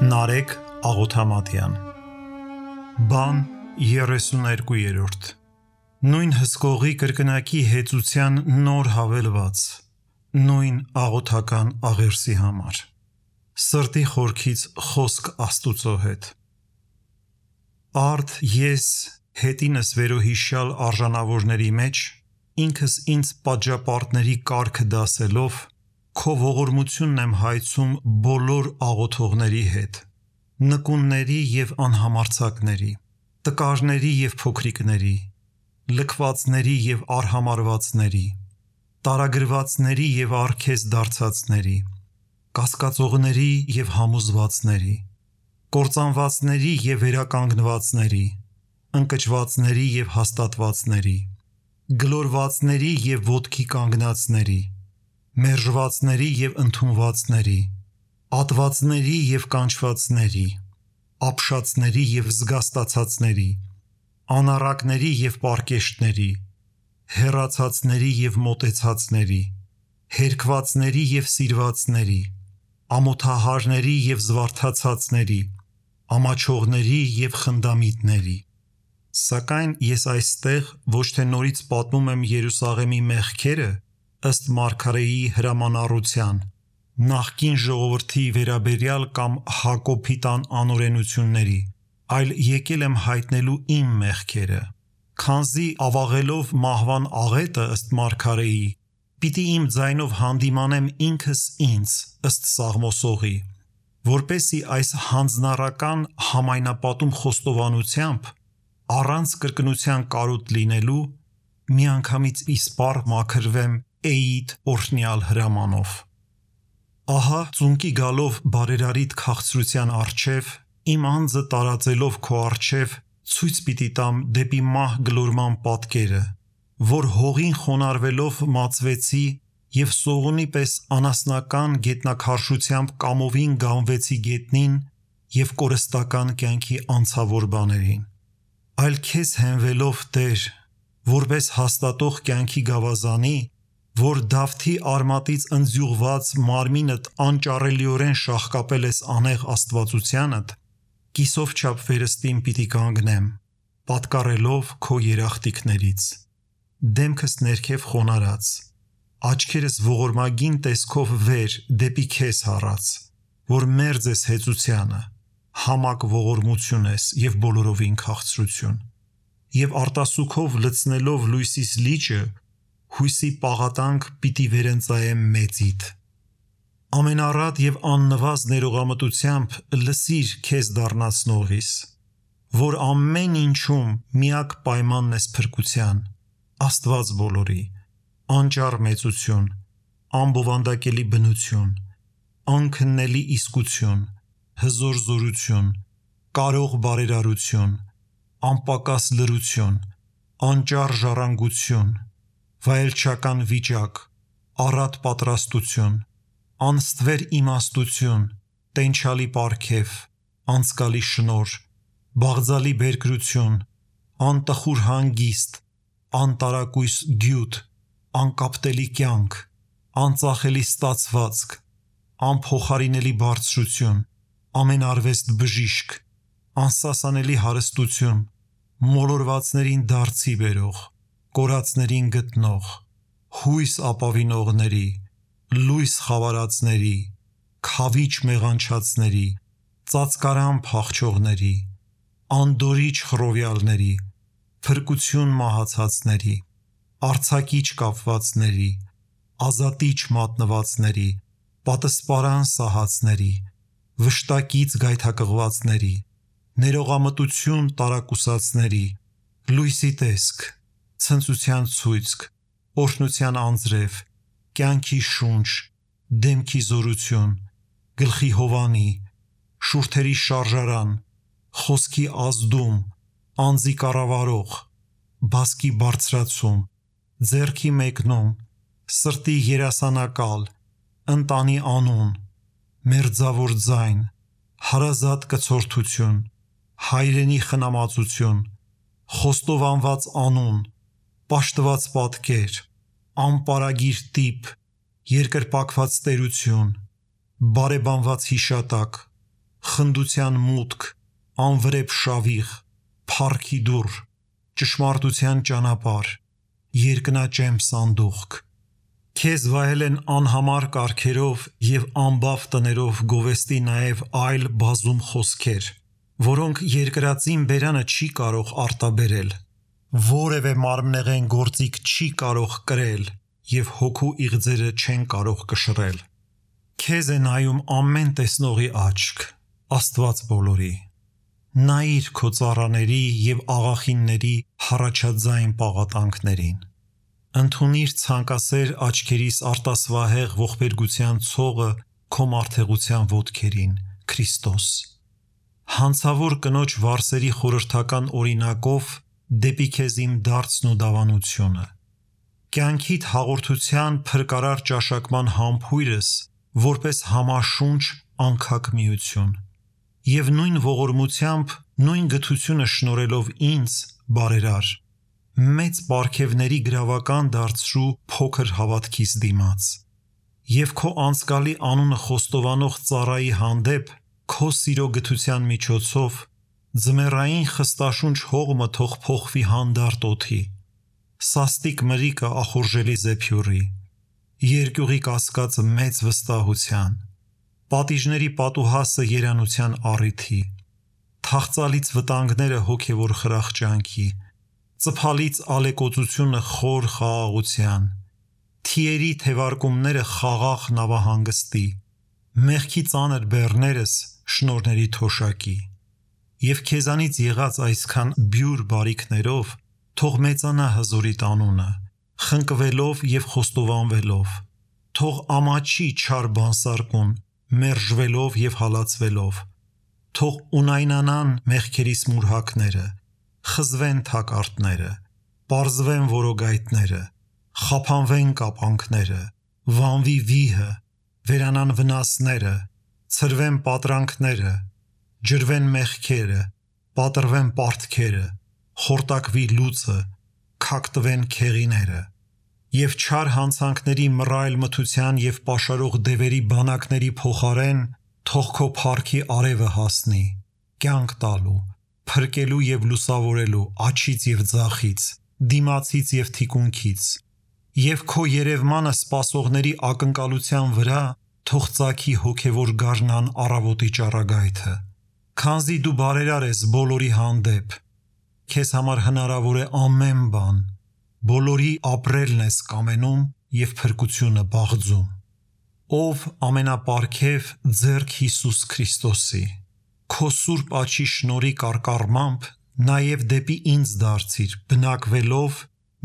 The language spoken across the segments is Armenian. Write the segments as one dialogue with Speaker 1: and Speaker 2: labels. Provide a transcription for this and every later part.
Speaker 1: Նարեկ Աղոթամատյան Բան 32-րդ Նույն հսկողի կրկնակի հեծության նոր հավելված Նույն աղոթական աղերսի համար Սրտի խորքից խոսք Աստուծո հետ Արդ ես հետինս վերոհիշյալ արժանավորների մեջ ինքս ինձ պատժապարտների կարգը դասելով Քո ողորմությունն եմ հայցում բոլոր աղոթողների հետ, նկունների և անհամարձակների, տկարների և փոքրիկների, լքվածների և արհամարհվածների, տարագրվածների և առքես դարձածների, կասկածողների և համոզվածների, կործանվածների և վերականգնվածների, ընկճվածների և հաստատվածների, գլորվածների և ոտքի կանգնածների, մերժվածների և ընդունվածների, ատվածների և կանչվածների, ապշածների և զգաստացածների, անառակների և պարկեշտների, հեռացածների և մոտեցածների, հերքվածների և սիրվածների, ամոթահարների և զվարթացածների, ամաչողների և խնդամիտների, Սակայն ես այստեղ ոչ թե նորից պատմում եմ Երուսաղեմի մեղքերը ըստ Մարգարեի հրամանառության, նախկին ժողովրդի վերաբերյալ կամ Հակոբի տան անօրենությունների, այլ եկել եմ հայտնելու իմ մեղքերը, քանզի ավաղելով մահվան աղետը ըստ Մարգարեի, պիտի իմ ձայնով հանդիմանեմ ինքս ինձ ըստ Սաղմոսողի, որպեսզի այս հանձնառական համայնապատում խոստովանությամբ, առանց կրկնության կարոտ լինելու, միանգամից իսպառ մաքրվեմ Էիդ օրհնյալ հրամանով։ Ահա ծունկի գալով բարերարիտ քաղցրության առջև, իմ անձը տարածելով քո առջև, ցույց պիտի տամ դեպի մահ գլորման պատկերը, որ հողին խոնարհվելով մածվեցի և սողունի պես անասնական գետնաքարշությամբ կամովին գանվեցի գետնին և կորստական կյանքի անցավոր բաներին, այլ քեզ հենվելով Տեր, որպես հաստատող կյանքի գավազանի, որ Դավթի արմատից ընձյուղված մարմինդ անճառելիորեն շաղկապել ես անեղ աստվածությանդ, կիսով չափ վերստին պիտի կանգնեմ, պատկառելով քո երախտիկներից, դեմքս ներքև խոնարհած, աչքերս ողորմագին տեսքով վեր դեպի քեզ հառած, որ մերձ ես հեծությանը, համակ ողորմություն ես և բոլորովին քաղցրություն, և արտասուքով լցնելով լույսիս լիճը, հույսի պաղատանք պիտի վերընծայեմ մեծիդ։ Ամենառատ և աննվազ ներողամտությամբ լսիր քեզ դառնացնողիս, որ ամեն ինչում միակ պայմանն ես փրկության, Աստված բոլորի, անճառ մեծություն, անբովանդակելի բնություն, անքննելի իսկություն, հզոր զորություն, կարող բարերարություն, անպակաս լրություն, անճառ ժառանգություն, վայելչական վիճակ, առատ պատրաստություն, անստվեր իմաստություն, տենչալի պարգև, անձկալի շնորհ, բաղձալի բերկրություն, անտխուր հանգիստ, անտարակույս գյուտ, անկապտելի կյանք, անծախելի ստացվածք, անփոխարինելի բարձրություն, ամենարվեստ բժիշկ, անսասանելի հարստություն, մոլորվածներին դարձի բերող, կորածներին գտնող, հույս ապավինողների, լույս խավարածների, քավիճ մեղանչածների, ծածկարան փախչողների, անդորիչ խռովյալների, փրկություն մահացածների, արձակիչ կապվածների, ազատիչ մատնվածների, պատսպարան սահածների, վշտակից գայթակղվածների, ներողամտություն տարակուսածների, լույսի տեսք, ցնծության ցույցք, օրհնության անձրև, կյանքի շունչ, դեմքի զորություն, գլխի հովանի, շուրթերի շարժարան, խոսքի ազդում, անձի կառավարող, բասկի բարձրացում, ձեռքի մեկնում, սրտի երասանակալ, ընտանի անուն, մերձավոր ձայն, հարազատ կցորդություն, հայրենի խնամածություն, խոստովանված անուն, պաշտված պատկեր, անպարագիր տիպ, երկրպագված տերություն, բարեբանված հիշատակ, խնդության մուտք, անվրեպ շավիղ, փառքի դուռ, ճշմարտության ճանապարհ, երկնաճեմ սանդուղք։ Քեզ վայել են անհամար կարգերով և անբավ տներով գովեստի նաև այլ բազում խոսքեր, որոնք երկրածին բերանը չի կարող արտաբերել, որևէ մարմնեղեն գործիք չի կարող կրել և հոգու իղձերը չեն կարող կշռել։ Քեզ է նայում ամեն տեսնողի աչք, Աստված բոլորի։ Նայիր քո ծառաների և աղախինների հառաչաձայն պաղատանքներին։ Ընդունիր ցանկասեր աչքերիս արտասվահեղ ողբերգության ցողը քո մարդեղության ոտքերին, Քրիստոս։ Հանցավոր կնոջ վարսերի խորհրդական օրինակով դեպի քեզ իմ դարձն ու դավանությունը։ Կյանքիդ հաղորդության փրկարար ճաշակման համբույրս որպես համաշունչ անքակ միություն և նույն ողորմությամբ, նույն գթությունը շնորելով ինձ, բարերար, մեծ պարգևների գրավական դարձրու փոքր հավատքիս դիմաց և քո անցկալի անունը խոստովանող ծառայի հանդեպ քո սիրո գթության միջոցով ձմեռային խստաշունչ հողմը թող փոխվի հանդարտ օդի, սաստիկ մրրիկը ախորժելի զեփյուռի, երկյուղի կասկածը մեծ վստահության, պատիժների պատուհասը երանության առիթի, թախծալից վտանգները հոգևոր խրախճանքի, ծփալից ալեկոծությունը խոր խաղաղության, թիերի թևարկումները խաղաղ նավահանգստի, մեղքի ծանր բեռներս շնորհների թոշակի։ Եվ քեզանից եղած այսքան բյուր բարիքներով թող մեծանա հզորիտ անունը, խնկվելով և խոստովանվելով, թող ամաչի չար բանսարկուն, մերժվելով և հալածվելով, թող ունայնանան մեղքերիս մուրհակները, խզվեն թակարդները, պարզվեն որոգայթները, խափանվեն կապանքները, վանվի վիհը, վերանան վնասները, ցրվեն պատրանքները, ջրվեն մեղքերը, պատռվեն պարտքերը, խորտակվի լուծը, քակտվեն քեղիները, և չար հանցանքների մռայլ մթության և պաշարող դևերի բանակների փոխարեն թող քո փառքի արևը հասնի, կյանք տալու, փրկելու և լուսավորելու աջից և ձախից, դիմացից և թիկունքից, և քո երևմանը սպասողների ակնկալության վրա թող ծագի հոգևոր գարնան առավոտի ճառագայթը, քանզի դու բարերար ես բոլորի հանդեպ, քեզ համար հնարավոր է ամեն բան, բոլորի ապրելն ես կամենում և փրկությունը բաղձում, ով ամենապարգև ձեռք Հիսուս Քրիստոսի, քո սուրբ աջի շնորհի կարկառմամբ նաև դեպի ինձ դարձիր, բնակվելով,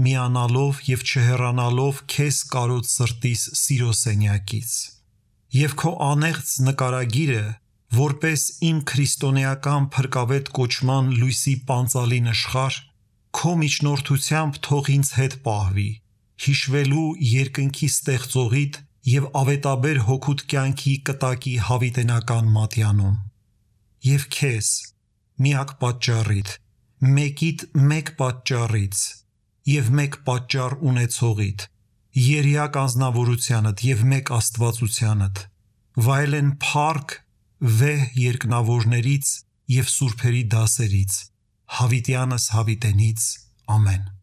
Speaker 1: միանալով և չհեռանալով քեզ կարոտ սրտիս սիրո սենյակից, և քո անեղծ նկարագիրը, որպես իմ քրիստոնեական փրկավետ կոչման լույսի պանծալի նշխար, քո միջնորդությամբ թող ինձ հետ պահվի, հիշվելու երկնքի ստեղծողիդ և ավետաբեր հոգուդ կյանքի կտակի հավիտենական մատյանում, և քեզ, միակ պատճառիդ, մեկիդ մեկ պատճառից և մեկ պատճառ ունեցողիդ, երիակ անձնավորությանդ և մեկ աստվածությանդ, վայելեն փառք վեհ երկնավորներից և սուրբերի դասերից, հավիտյանս հավիտենից, ամեն։